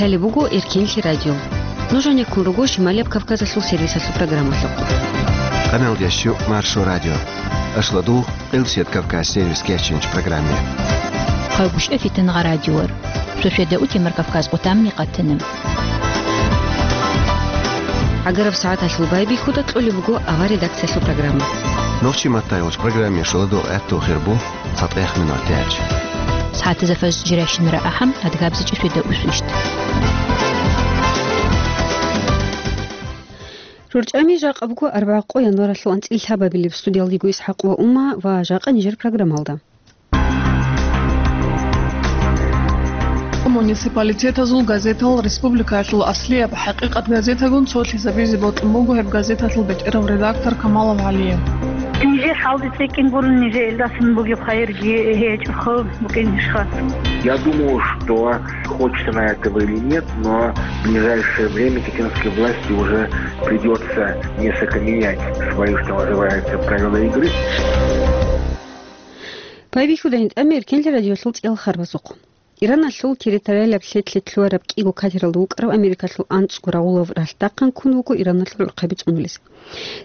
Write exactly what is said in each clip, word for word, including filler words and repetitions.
Лъалеб буго Эркенлъи радио. Нуж гьанеккун руго Шималияб Кавказалъул сервисалъул программалъухъ. Къаналдящу Маршо радио. Ашладу Къилсият Кавказ сервис кечинч программе. Хъагушев Фитангъа радиор. Софида Утимар Кавказ къутамни къатана. Агараб сагӀаталъул байбихьуда кьолеб буго авар редакциялъул программа. Нохчи матаялъ программе шоладо гӀатту хирбу. ЦатӀехъ минутач. СагӀатазда фажр жирашин рагӀахъан адгабзичӀи светда усвищ. РорчӀами жакъа буго арбагӀа къо январалъул анцӀил лъабабилеб. Студиялдего ИсхӀакъ ва Ума ва жакъа нижер программалда. Муниципалитетазул газетал республикаялъул аслияб ХӀакъикъат газетагун цолъизабизе бокьун буго гьеб газеталъул бетӀерав редактор Камалов ГӀалие. Нижер хӀалде цӀикӀкӀин гурун, нижер илдасан бугеб хайирги гьечӀо, хъуб букӀинищха? Я думаю, что, хочется на этого или нет, но в ближайшее время чеченской власти уже придется несколько менять свои, что называется, правила игры. Байбихьуда гьитӀами Эркенлъи радиолъул цӀел харбазухъ. Ираналъул территориалаб лъетлъи лъугьараб кӀиго катералда вукӀарав Америкалъул анцӀго рагъулав ралъдахъан ккун вуго Ираналъул гӀурхъаби цӀунулес.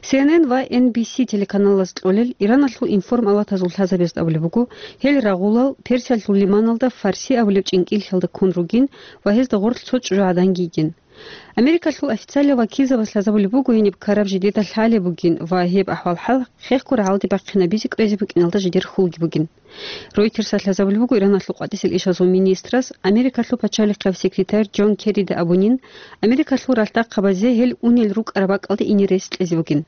Си Эн Эн ва Эн Би Си телеканалаз кьолел Ираналъул информалатазул лъазабазда абулеб буго, гьел рагъулал Персиялъул лиманалда Фарси абулеб чӀинкӀиллъиялда ккун ругин ва гьезда гъорлъ цо чӀужугӀаданги йигин. Америкалъул официалиял вакилзабаз лъазабулеб буго гьениб ккараб жидеда лъалеб бугин ва гьеб ахӀвал-хӀал хехго рагӀалде бахъинабизе кӀвезе букӀиналда жидер хьулги бугин. Ройтерсалъ лъазабулеб буго Ираналъул къватӀисел ишазул министрас Америкалъул пачалихъав секретарь Джон Керрида абунин, Америкалъул ралъдахъабазе гьел унел рукӀараб бакӀалде ине рес кьезе бугин.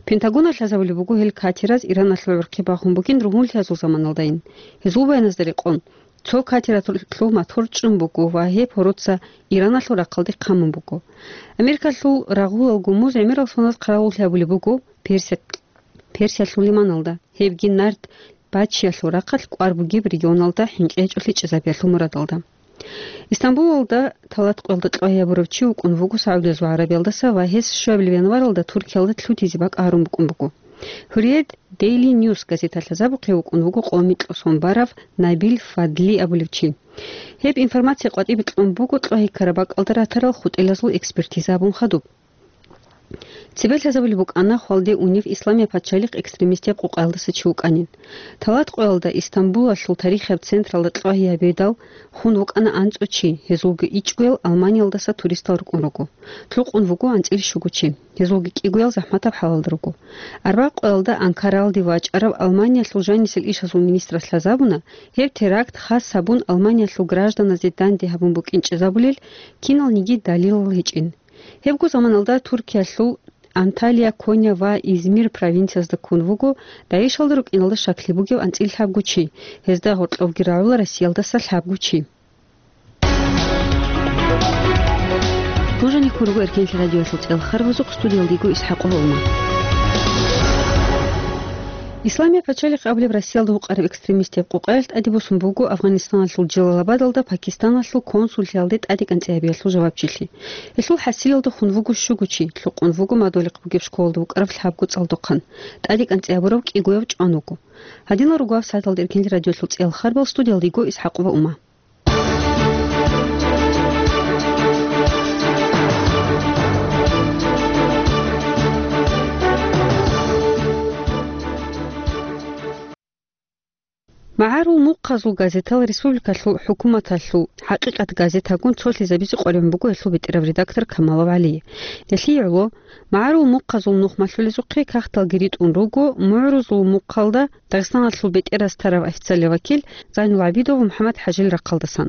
Пентагоналъ лъазабулеб буго гьел катераз Ираналъул гӀурхъи бахун бугин ругьунлъиязул заманалдайин. Гьезул баяназда рекъон, цо катералъул мотор чӀун буго ва гьеб гьороца Ираналъул рахъалде хъамун буго. Америкалъул рагъулал гумуз гӀемерал соназ хъаравуллъи гьабулеб буго Персия-, Персиялъул лиманалда, гьебги нарт Бачиялъул рахъалъ кӀвар бугеб регионалда хӀинкъи гьечӀолъи чӀезабиялъул мурадалда. Истамбулалда талат къоялда кьвагьабурав чи вукӀун вуго СагӀудиязул ГӀарабиялдаса ва гьес щуабилеб январалда Туркиялда лъутизе бакӀ гьарун букӀун буго. Гьурриет Дейли Ньюс газеталъ лъазабухъе вукӀун вуго къо-, микьго сон барав Набил Фадли абулев чи. Гьеб информация къватӀибе кьун буго кьвагьиккараб бакӀалда ратарал хутӀелазул экспертиза абун хадуб. Цебе лъазабулеб букӀана хвалде унев Исламияб пачалихъ экстремистияб къукъаялдаса чи вукӀанин. Талат къоялда Истамбулалъул тарихияб централда кьвагьи гьабидал хун вукӀана анцӀго чи, гьезулги ичӀгоял Алманиялдаса туристал рукӀун руго. Лъукъун вуго анцӀила щуго чи, гьезулги кӀигоял захӀматаб хӀалалда руго. Арбагъ къоялда Анкаралде вачӀарав Алманиялъул жанисел ишазул министрас лъазабуна, гьеб теракт хас гьабун Алманиялъул гражданазде данде гьабун букӀин чӀезабулел киналниги далилал гьечӀин. Гьебго заманалда Туркиялъул Анталия, Коня ва Измир провинциязда ккун вуго ДАИШалда рукӀиналда щаклъи бугев анцӀила лъабго чи, гьезда гьоркьовги рагӀула Россиялдаса лъабго чи. Нуж гьанеккун руго Эркенлъи радиоялъул цӀел харбазухъ, студиялда йиго ИсхӀакъ ва Ума. Исламияб пачалихъ абулеб Россиялда вукъараб экстремистияб къукъаялъ тӀаде босун буго Афганистаналъул Джалалабадалда Пакистаналъул консуллъиялде тӀаде кӀанцӀи гьабиялъул жавабчилъи. Гьелъул хӀасилалда хун вуго щуго чи, лъукъун вуго мадугьалихъ бугеб школалда вукӀарав лъабго цӀалдохъан. ТӀаде кӀанцӀи гьабурав кӀигояв чӀван вуго. Гьадинал руго гьаб сагӀаталда Эркенлъи радиоялъул цӀел харбал, студиялда йиго ИсхӀакъ ва Ума. МагӀарул мухъазул газетал республикалъул хӀукуматалъул «ХӀакъикъат» газетагун цолъизабизе къваригӀун буго гьелъул бетӀерав редактор Камалов ГӀали. Гьелъие гӀоло, магӀарул мухъазул нух малъулезухъе кагъталги ритӀун руго, мугӀрузул мухъалда Дагъистаналъул бетӀерас тарав официалияв вакил Зайнул ГӀабидов ва МухӀаммад ХӀажил рахъалдасан.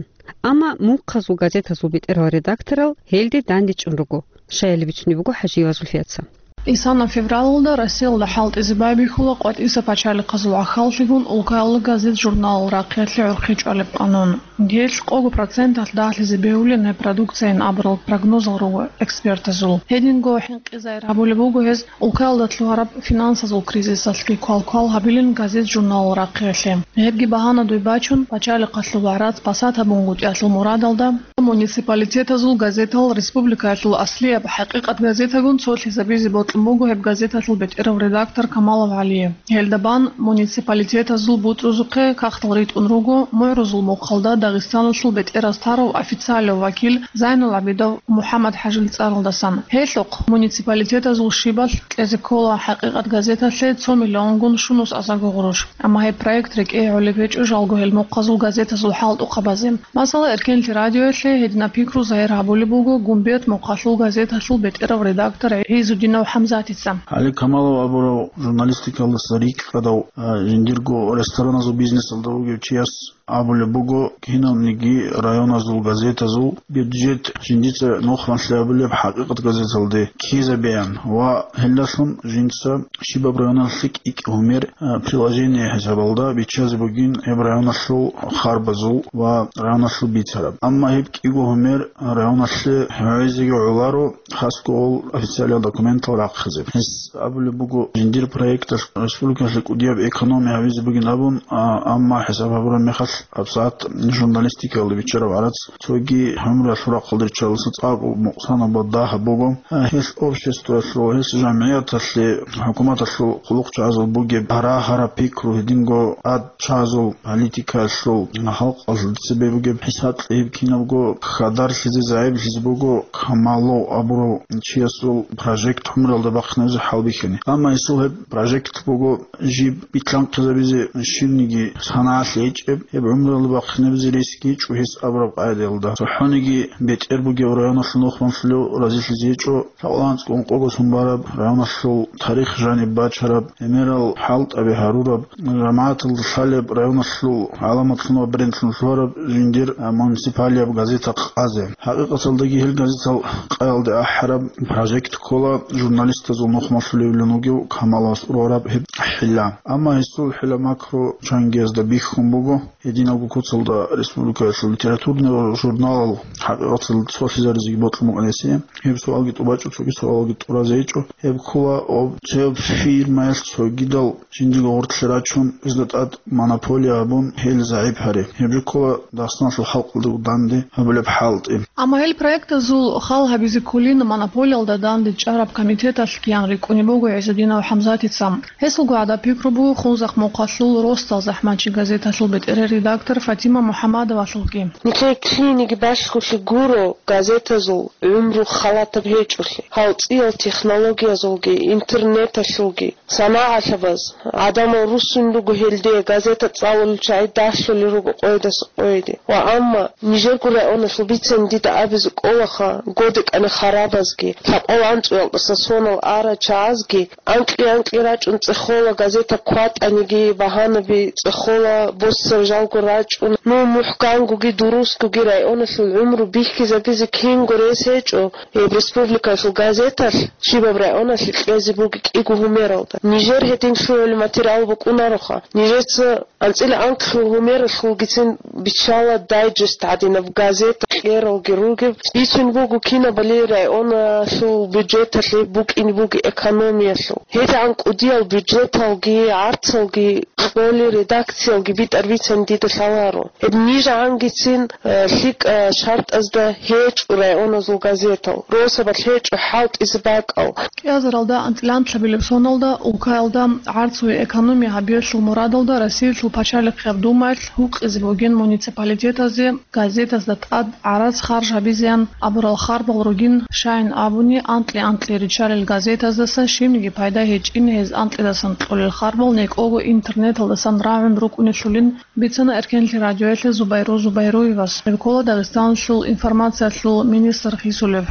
Амма мухъазул газетазул бетӀерал редакторал гьелде дандечӀун руго, щаяли бицунеб буго ХӀажиева Зульфияца. Исана февралалда Россиялда хӀалтӀизе байбихьула къватӀиса пачалихъазул гӀахьаллъигун улкаялда газет-журналал рахъиялъе гӀурхъи чӀвалеб къанун. Гьелъ къого проценталъ дагьлъизе бегьулин гьеб продукцияйин абурал прогнозал руго экспертазул. Гьединго хӀинкъизайир гьабулеб буго гьез улкаялда лъугьараб финансазул кризисалъги квалквал гьабилин газет-журналал рахъиялъе. Гьебги багьанадуй бачун, пачалихъалъул вагӀрат пасат гьабунгутӀиялъул мурадалда, муниципалитетазул газетал республикаялъул аслияб «ХӀакъикъат» газетагун цолъизабизе бокь буго гьеб газеталъул бетӀерав редактор Камалов ГӀалие. Гьелда бан муниципалитетазул бутӀрузухъе кагътал ритӀун руго мугӀрузул мухъалда Дагъистаналъул бетӀераз тарав официалев вакил Зайнул ГӀабидов МухӀаммад-ХӀажил цӀаралдасан. Гьелъухъ муниципалитетазул щибалъ кьезе ккола «ХӀакъикъат» газеталъе цо миллионгун щунус азарго гъурущ. Амма гьеб проект рекӀее гӀолеб гьечӀо жалго гьел мухъазул газетазул хӀалтӀухъабазе. Масала, Эркенлъи радиоялъе гьединаб пикру загьир гьабулеб буго Гумбет мухъалъул газеталъул бетӀерав редактор ГӀизудинов ХӀамзатица. ГӀали Камалов абурав журналистикалдаса рикӀкӀадав, а, жиндирго рестораназул бизнесалда вугев чияс абулеб буго, киналниги районазул газетазул бюджет жиндица нухмалъи абулеб «ХӀакъикъат» газеталде ккезабеян ва гьелдалъун жинца щибаб районалъе кӀикӀ гьумер, а, приложение хӀисабалда биччазе бугин гьеб районалъул харбазул ва районалъул бицараб. Амма гьеб кӀиго гьумер районалъе гьавизеги гӀоларо, хасго гьел официальный документал рахъизе. Гьес абулеб буго, жиндир проекталъ республикалъе кӀудияб экономия гьавизе бугин абун, а, амма хӀисаб гьабураб мехалъ гьабсагӀат журналистикалда биччараб гӀарац цоги гӀумруялъул рахъалда риччалдаса цӀакъго мукъсанаб ва дагьаб буго. А, гьелъ обществоялъул, гьелъ жамгӀияталъе, хӀукуматалъул хъулухъчагӀазул бугеб гьарагьараб пикру, гьединго тӀад чӀезул политикаялъул, халкъалъ цебе бугеб хӀисаблъи, гьеб кинабго хьадарлъизе, загӀиплъизе буго Камалов абурав чиясул прожект гӀумруялда бахъинабизе хӀалбихьани. Амма гьесул гьеб прожект буго жиб битлъанхъизабизе щибниги санагӀалъи гьечӀеб, гьеб гӀумруялда бахъинабизе рес гьечӀо гьес абураб къагӀидаялда. ЦохӀониги бетӀер бугев районалъул нухмалъулев разилъизе гьечӀо, лъабкъоялда анцӀго ункъого сон бараб, районалъул тарих жаниб бачараб, гӀемерал хӀалтӀаби гьарураб, жамагӀаталда лъалеб, районалъул гӀаламатлъун ва брендлъун лъугьараб жиндир, а, муниципалияб газета къазе. ХӀакъикъаталдаги гьел газетал къаялде ахӀараб прожект ккола журналистазул нухмалъулевлъун вугев Камаловас ургъараб гьеб хӀила. Амма гьесул хӀила макру чангиязда бихьун буго. Гьединабго куцалда республикаялъул литературный журналал хӀакъикъаталда цолъизаризеги бокьун букӀана гьесие. Гьеб суалги тӀубачӀо, цоги суалалги тӀуразе гьечӀо. Гьеб ккола об-, цо фирмаялъ цогидал жиндирго гъорлъе рачун, гьезда тӀад монополия гьабун, гьел загӀип гьари. Гьеб жо ккола Дагъистаналъул халкъалда данде гьабулеб хӀалтӀи. Амма гьел проектазул хал гьабизе кколин монополиялда данде чӀараб комитеталъ киян рикӀкӀунеб буго ГӀизудинов ХӀамзатица. Гьесулго гӀадаб пикру буго Хунзахъ мухъалъул росдал захӀмачи газеталъул бетӀерер редактор Фатима МухӀаммадовалъулги. Нилъее киниги балъголъи гуро газетазул гӀумру халатаб гьечӀолъи. Гьал цӀиял технологиязулги, интернеталъулги, санагӀалъабаз, гӀадамал руссун руго гьелде газета цӀалулел чагӀи далъулел руго къойдаса къойде. Ва амма нижерго районалъул бицани дида абизе кӀолаха, годекӀани харабазги, лъабкъоялда анцӀгоялдаса сонал арал чагӀазги, анкьи-анкьи рачӀун цӀехола, газета кватӀаниги, багьанаби цӀехола, боссараб жалго рачӀун, ну, мухӀкангоги дурусгоги районалъул гӀумру бихьизабизе кинго рес гьечӀо, гьеб республикалъул газеталъ щибаб районалъе кьезе буго кӀиго гьумералда. Нижер гьедин лъугӀулеб материал букӀунароха. Нижеца анцӀила анкьлъул гьумералъулгицин биччала дайджест гӀадинаб газета кьералги ругеб. Бицун буго кинабали районалъул бюджеталъе букӀине буго экономиялъул. ГьедигӀан кӀудиял бюджеталги, гӀарцалги, кьоли редакциялги битӀар бицани дида лъаларо. Гьеб нижагӀангицин, э, лъикӀа шартӀазда гьечӀо районалъул газетал, росабалъ гьечӀо хӀалтӀизе бакӀал. КӀиазаралда анцӀила анкьабилеб соналда улкаялда гӀарцуе экономия гьабиялъул мурадалда Россиялъул пачалихъияб Думаялъ гьукъизе бугин муниципалитетазе газетазда тӀад гӀарац харж гьабизеян абурал харбал ругин, щайин абуни, анкьи-анкьи риччалел газетаздаса щибниги пайда гьечӀин, гьез анкьидасан кьолел харбал некӀого интернеталдасан рагӀун рукӀунелъулин, бицана Эркенлъи радиоялъе Зубайру Зубайруевас. Гьеб ккола Дагъистаналъул информациялъул министр Хисулев.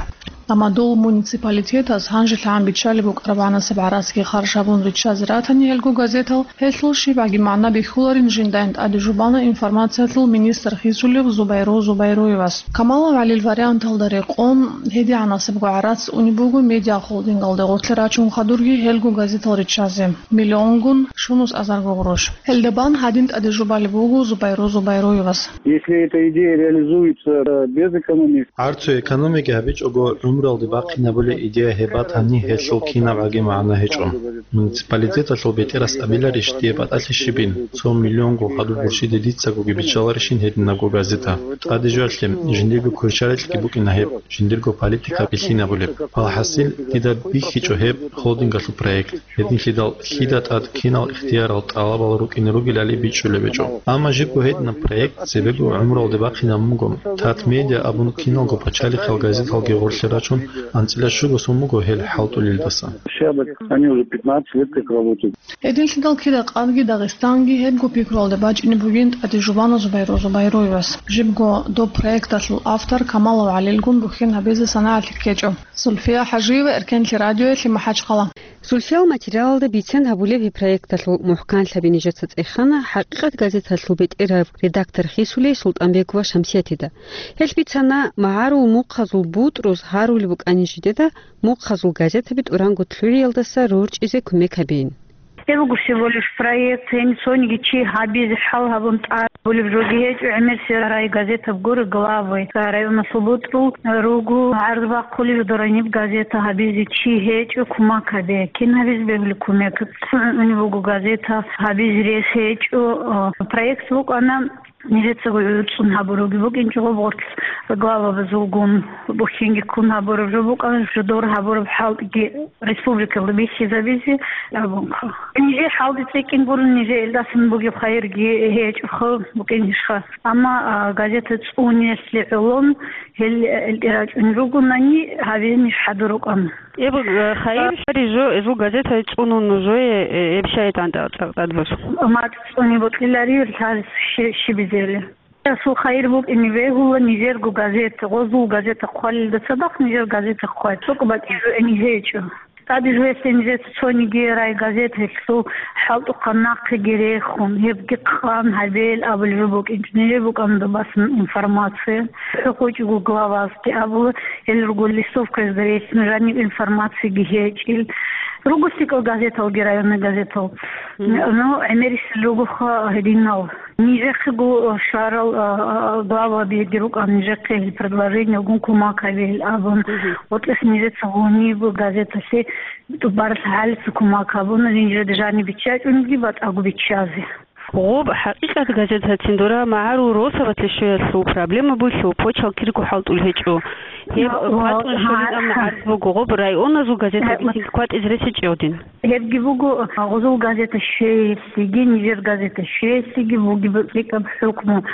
Амма дол муниципалитетас гьанжелъагӀан биччалеб букӀараб гӀанасеб гӀарацги харж гьабун риччазе ратани гьелго газетал, гьелъул щибгӀаги магӀна бихьуларин жиндайин тӀаде жубана информациялъул министр Хисулев Зубайру Зубайруевас. Камалов ГӀалил варианталда рекъон, гьедигӀанасебго гӀарац унеб буго медиахолдингалде гъорлъе рачун хадурги гьелго газетал риччазе. Миллионгун щунус азарго гъурущ. Гьелда бан гьадин тӀаде жубалеб буго Зубайру Зубайруевас. Если эта идея реализуется, э, без экономии, гӀарцуе экономияги гьабичӀого, ГӀумралде бахъинабулеб идея гьеб батани, гьелъул кинабгӀаги магӀна гьечӀо. Муниципалитеталъул бетӀерас абиларищ дие батӀалъи щибин, цо миллионго хадуб гурщиде дицагоги биччаларищин гьединабго газета? ТӀаде жоялъе, жиндирго кверщаликьги букӀина гьеб, жиндирго политика билъинабулеб. Алхасил, дида бихьичӀо гьеб холдингалъул проект. Гьединлъидал лъида тӀад кинал ихтиярал, тӀалабал рукӀине ругелали бичӀчӀулеб гьечӀо. Амма жибго гьединаб проект цебего гӀумралде бахъинабун буго. Татмедиа абун киналго пачалихъал газеталги гъорлъе рачун, анцӀила щуго сон буго гьел хӀалтӀулелдаса. Все об этом. Они уже пятнадцать лет как работают. Гьединлъидал кида къадги Дагъистанги гьебго пикруялда бачӀине бугин ТӀаде Жубанов Зубайру Зубайруевас. Жибго доб проекталъул автор Камалов ГӀалилгун бухьин гьабизе санагӀалъи ккечӀо. Зульфия ХӀажиева, Эркенлъи радиоялъе, МахӀачхъала. Зульфиял материалалда бицен гьабулеб гьеб проекталъул мухӀканлъаби нижеца цӀехана «ХӀакъикъат» газеталъул бетӀерав редактор хисулей СултӀанбегова Шамсиятида. Гьелъ бицана магӀарул мухъазул бутӀруз гьарулеб букӀани жидеда мухъазул газетаби тӀуранго лъугӀиялдаса рорчӀизе кумек гьабейин. Гьеб буго всего лишь проект, гьениб цониги чи гьабизе хӀал гьабун тӀад. Гьабулеб жоги гьечӀо, гӀемерисел райгазетаб гуро главы, районасул бутӀрул руго гӀарз бахъулел дорониб газета гьабизе чи гьечӀо кумек гьабе. Кин гьабизе бегьулеб кумек? ЦӀуни буго газета гьабизе рес гьечӀо. Проект букӀана нижецаго гӀуцӀун гьабураги букӀинчӀо гъоб гъорлъ главабазулгун бухьинги ккун гьабураб жо букӀана, жодор гьабураб хӀалтӀиги республикалда бихьизабизе абунха. Нижер хӀалде цӀикӀкӀин гурун, нижер илдасан бугеб хайирги гьечӀоха букӀин ишха. Амма, а, газета цӀуниялъе гӀолон гьел, э, элтӀе рачӀун ругонани, гьабизе ниж хӀадур рукӀана. Эб, э, хайир, а, шари жо, эзул газета цӀунун нужее, э, эб шайтӀан тӀа-, тӀа-, тӀадбуш. МацӀ цӀуни бокьилари, лъаз щи-, щибизели. Расул хайир букӀине бегьула нижерго газета, гъозул газета хъвалилда цадахъ нижер газета хъвай. ЦӀукӀ бакӀизе гьечӀо. ТӀаде жугьеслъи нижеца цониги райгазеталъул хӀалтӀухъан нахъеги рехун, гьебги къан гьабел абулеб жо букӀинчӀо. Нижер букӀана добасан информация. ХӀухъучӀого главазги абула, гьел руго листовкаязда релълъун жаниб информациеги гьечӀил. Руго лъикӀал газеталги, районный газетал. Мгм. Ну, гӀемерисел ругоха гьединал. Нижехъего щварал, а, а, главабиги рукӀан, нижехъе гьел предложениялгун кумек гьабе гьел абун. Мгм. ГъотӀес нижеца гъуниб газеталъе тӀубаралъ гьалица кумек гьабуна, нижеда жаниб биччачӀониги батӀаго биччазе. Гъоб «ХӀакъикъат» газетацин дора магӀарул росабалъе щвеялъул проблема бугелъул почал кирго хӀалтӀул гьечӀо. Гьеб, ва, кватӀун ва, щолин амма гьа-, гӀарз буго, гъоб районазул газеталги гьа-, цинги кватӀизе рес гьечӀо гьедин. Гьебги буго, гъозул газета щвеялъеги, нижер газета щвеялъеги бугеб лъикӀаб хӀукму.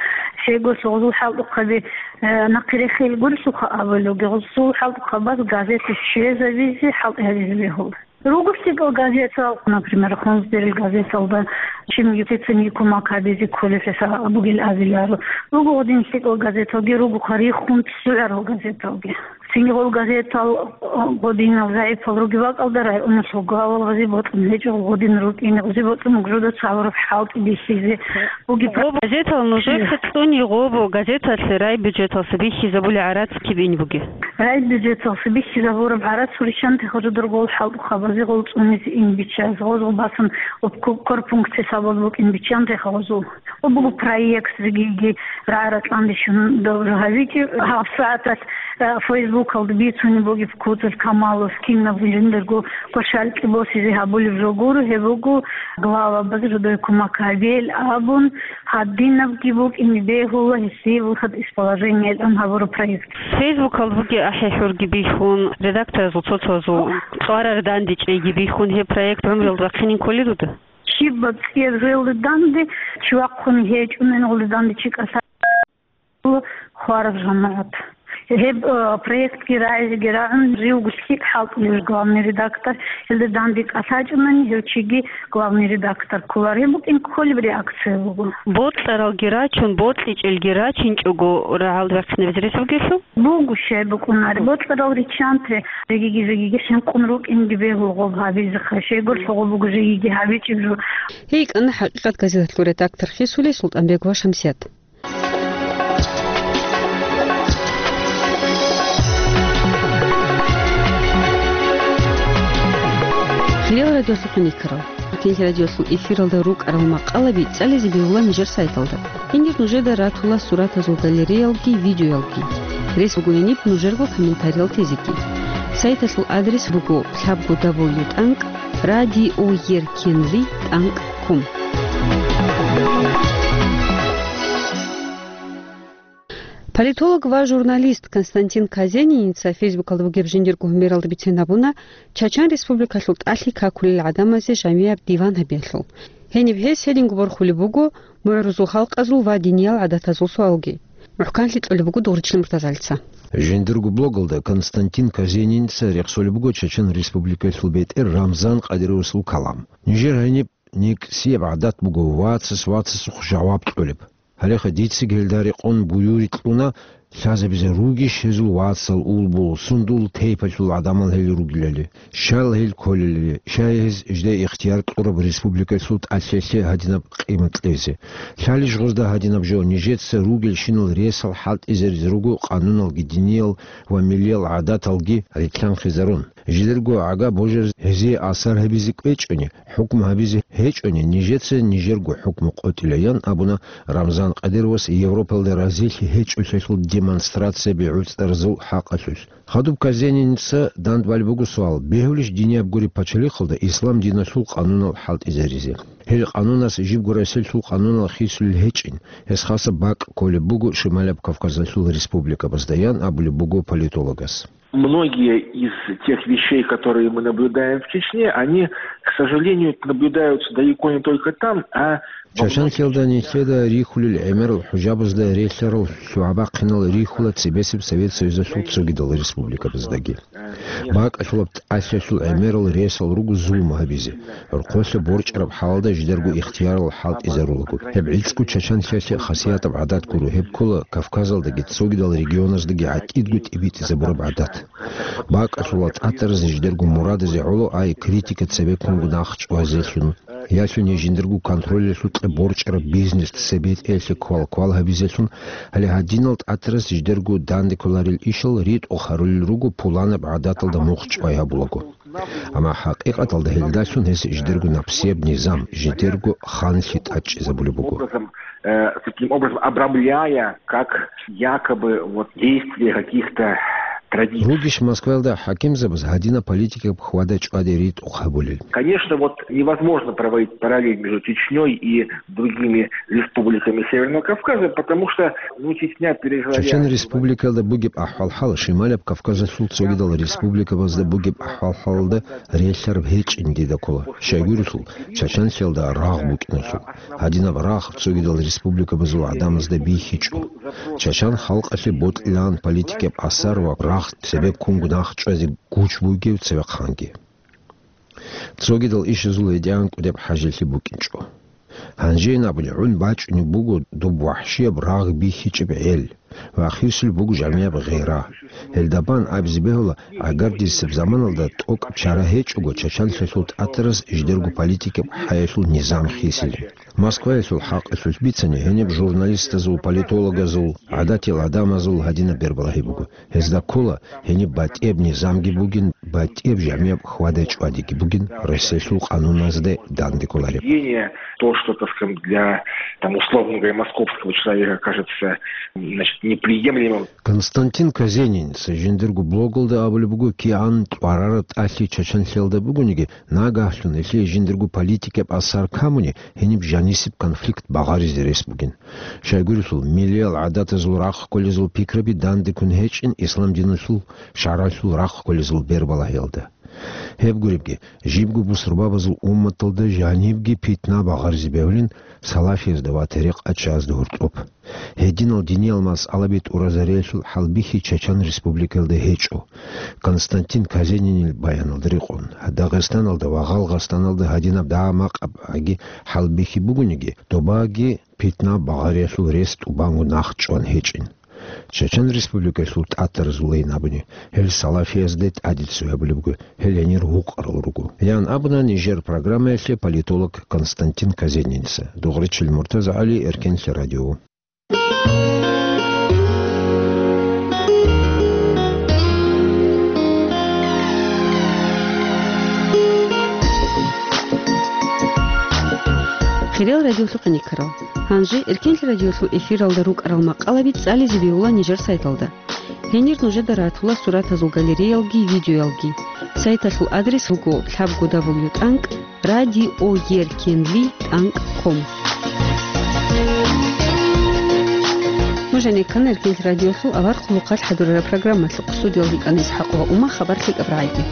Щайгурелъул гъозул хӀалтӀухъаби, э, нахъе рехел гурелъулха абулебги, гъозул хӀалтӀухъабаз газета щвезабизе хӀалтӀи гьабизе бегьула. Руго лъикӀал газетал, например, Хунзберил газеталда, чим юсецин кумек гьабизе кколеб хӀисаб бугел абиларо. Руго гъодин лъикӀал газеталги, ругоха рихун цӀугӀарал газеталги. Цинги гъол газетал, э, гъодинал загӀипал ругеб бакӀалда районалъул главалазе бокьун гьечӀо, гъодин рукӀине гъозе бокьун гужуда цалураб хӀалтӀи бихьизе бугеб. Гъоб газетал нужехъе цӀуни гъоб газеталъе райбюджеталъа бихьизабули гӀарац киб ин бугеб? Райбюджеталъа бихьизабураб гӀарац гьуриччанте гъожодор гъол хӀалтӀухъабазе гъол цӀунизе ин биччазе гъозул басан обкорпункт хӀисабалда букӀин биччанте гъозул. Гъо буго проект жигиги рагӀа-ракьанде щун добру гьабичӀеб. ГьабсагӀаталъ, э, Фейсбукалда бицунеб бугеб Куцалъ Камалов кинаб жиндирго квешалкьи босизе гьабулеб жо гуро, гьеб буго главабаз жодое кумек гьабел абун, гьадинабги букӀине бегьула гьесие выход из положения тӀан гьабураб проект. Фейсбукалда бугеб ахӀи-хӀурги бихьун, редакторазул цо-цоязул цӀварар дандечӀейги бихьун, гьеб проект гӀумруялда вахъинин кколел руда? Щибаб цӀияб жоялда данде чи вахъун гьечӀунани, гъолда данде чи кӀалъа-, хвараб жамагӀат. Гьеб, э, проектги рагӀизеги рагӀун, живго лъикӀ хӀалтӀулев главный редактор, гьелда данде кӀалъачӀунани, гьев чиги главный редактор кколар. Гьеб букӀин кколеб реакция буго. Бокьаралги рачун, бокьичӀелги рачинчӀого рагӀалда вахъинабизе рес бугелъул? Буго щай букӀунаре. Бокьарал риччанте, жегиги-жегиги хӀинкъун рукӀинги бегьул гъоб гьабизеха, щайгурелъул гъоб буго жегиги гьабичӀеб жо. Гьей йикӀана «ХӀакъикъат» газеталъул редактор хисулей СултӀанбегова Шамсият. Хириял радиолъухъ никарал. Эркенлъи радиолъул эфиралда рукӀарал макъалаби цӀализе бегьула нижер сайталда. Гьенир нужеда ратула суратазул галереялги, видеоялги. Рес бугони нужерго комментариялъ тезеги. Сайталъул адрес буго лъабго дабл ю тӀанкӀ радиоеркенлъи тӀанкӀ ком. Политолог ва журналист Константин Казениница Фейсбукалда бугеб жиндирго гьумералда бицен гьабуна, Чачан Республикалъул тӀалъи какулел гӀадамазе жамияб диван гьабиялъул. Гьениб гьес гьединго борхулеб буго мугӀрузул халкъазул ва диниял гӀадатазул суалги. МухӀканлъи кьолеб буго Дугъричил Муртазалица. Жиндирго блогалда Константин Казениница рехсолеб буго Чачан Республикалъул бетӀер Рамзан Къадировасул калам. Нижер гьаниб никсияб гӀадат буго вацас вацасухъ жаваб кьолеб. Гьалеха дицаги гьелда рекъон буюри кьуна, лъазабизе ругищ гьезул вацал, улбул, сундул тайпалъул гӀадамал гьел ругилали, щал гьел кколелали, щай гьез жида ихтияр кьураб республикалъул тӀалъиялъе гьадинаб къимат кьезе. Лъалищ гъозда гьадинаб жо, нижеца ругелщинал ресал хӀалтӀизаризе руго къануналги диниял ва миллиял гӀадаталги рилълъанхъизарун. Жидерго гӀага божараз гьезие асар гьабизе кӀвечӀони, хӀукму гьабизе гьечӀони, нижеца нижерго хӀукму къотӀилаян абуна Рамзан Къадировас Европалда разилъи гьечӀолъиялъул демонстрацияби гӀуцӀаразул хӀакъалъулъ. Хадуб Казениница дандбали буго суал: бегьулищ динияб гуреб пачалихъалда ислам диналъул къанунал хӀалтӀизаризе? Гьел къанунас жибго Россиялъул къанунал хисулел гьечӀин, гьес хасаб бакӀ кколеб буго Шималаб Кавказалъул республикабазда, ян абулеб буго политологас. Многие из тех вещей, которые мы наблюдаем в Чечне, они, к сожалению, наблюдаются далеко не только там, а во многих Чачанлъиялда нилъеда рихьулел гӀемерал хӀужабазда релълъарал лъугӀа-бахъинал рихьула цебесеб Совет Союзалъул цогидал республикабаздаги. БакӀалъулаб тӀалъиялъул гӀемерал ресал руго зулму гьабизе. ГӀурхъулъа борчӀараб хӀалалда жидерго ихтиярал хӀалтӀизарулаго. Гьеб гӀицӀго Чачанлъиялъе хасиятаб гӀадат гуро, гьеб ккола Кавказалдаги цогидал регионаздаги гӀатӀидго тӀибитӀизабураб гӀадат. БакӀалъула тӀатаразе жидерго мурадазе гӀоло ай критика цебеккунго нахъчӀвазелъун, ялъуни жиндирго контролялъукьа борчӀараб бизнес цебетӀеялъе квал-квал гьабизелъун, гьале гьадинал тӀатарас жидерго данде кколарел ишал ритӀухъ гьарулел руго пуланаб гӀадаталда мухъ чӀвай гьабулаго. Амма хӀакъикъаталда гьелдалъун гьес жидерго напсияб низам, жидерго ханлъи тӀадчӀизабулеб буго. Образом, э, таким образом обрамляя, как якобы вот действия каких-то традиций. Ругищ Москваялда хӀакимзабаз гьадинаб политикаб хьвада-чӀвади ритӀухъ гьабулел? Конечно, вот невозможно проводить параллель между Чечнёй и другими республиками Северного Кавказа, потому что, ну, Чечня пережила... Чечен республикалда бугеб ахӀвал-хӀал Шималаб Кавказалъул цогидал республикабазда бугеб ахӀвал-хӀалалда релълъараб гьечӀин дида ккола. Щайгурелъул, Чачанлъиялда рагъ букӀиналъул. Гьадинаб рагъ цогидал республикабазул гӀадамазда бихьичӀо. Чачан халкъалъе бокьилаан политикаб асар ва рагъ цебеккунго нахъчӀвазе гуч бугев цевехъанги. Цогидал ишазул гьедигӀан кӀудеб хӀажилъи букӀинчӀо. Гьанжейин абуни, гӀун бачӀунеб буго доб вахӀшияб рагъ бихьичӀеб гӀел ва хисулеб буго жамияб гъира. Гьелда бан абизе бегьула, гӀагардисеб заманалда тӀокӀаб чара гьечӀого Чачанлъиялъул тӀатарас жидерго политикаб хӀаялъул низам хисилин. Москваялъул хӀакъалъулъ бицани, гьениб журналистазул, политологазул, гӀадатиял гӀадамазул гьадинаб бербалагьи буго. Гьезда ккола, гьениб батӀияб низамги бугин, батӀияб жамияб хьвада-чӀвадиги бугин, Россиялъул къануназда данде кколареб. Поведение, то, что, так скажем, для, там, условно говоря, московского человека кажется, значит, неприемлемым. Константин Казениница жиндирго блогалда абулеб буго, кигӀан кьварараб тӀалъи Чачанлъиялда бугониги, нагагьлъун гьелъие жиндирго политикаб асар камуни, гьениб жанисеб конфликт багъаризе рес бугин. Щайгурелъул, миллиял гӀадатазул рахъ кколезул пикраби дандеккун гьечӀин ислам диналъул шаргӀалъул рахъ кколезул бербалагьиялда. Гьеб гуребги, жибго бусурбабазул умматалда жанибги питна багъаризе бегьулин, салафиязда ва тарикъатчиязда гьоркьоб. Гьединал диниял масъалаби тӀуразариялъул хӀалбихьи Чачан Республикаялда гьечӀо. Константин Казенинил баяналда рекъон, Дагъистаналда ва Гъалгъастаналда гьадинаб дагьа-макъаб гӀаги хӀалбихьи бугониги, добаги питна багъариялъул рес тӀубанго нахъчӀван гьечӀин. Чачан Республикалъул тӀатаразулейин абуни, гьел салафиязде тӀаде цо гьабулеб буго, гьел гьенир гьукъарал руго, ян абуна нижер программаялъе политолог Константин Казениница. Дугъричил МуртазагӀали, Эркенлъи радио. Хириял радиолъухъе никарал. Гьанже Эркенлъи радиолъул эфиралда рукӀарал макъалаби цӀализе бегьула нижер сайталда. Гьенир нужеда ратула суратазул галереялги видеоялги. Сайталъул адрес буго лъабго дабл ю тӀанкӀ радиоеркенлъи тӀанкӀ ком. Нуж гьанеккана Эркенлъи радиолъул авар хъулухъалъ хӀадурараб программалъухъ. Студиялда йикӀана ИсхӀакъ ва Ума. Хабар лъикӀаб рагӀиде.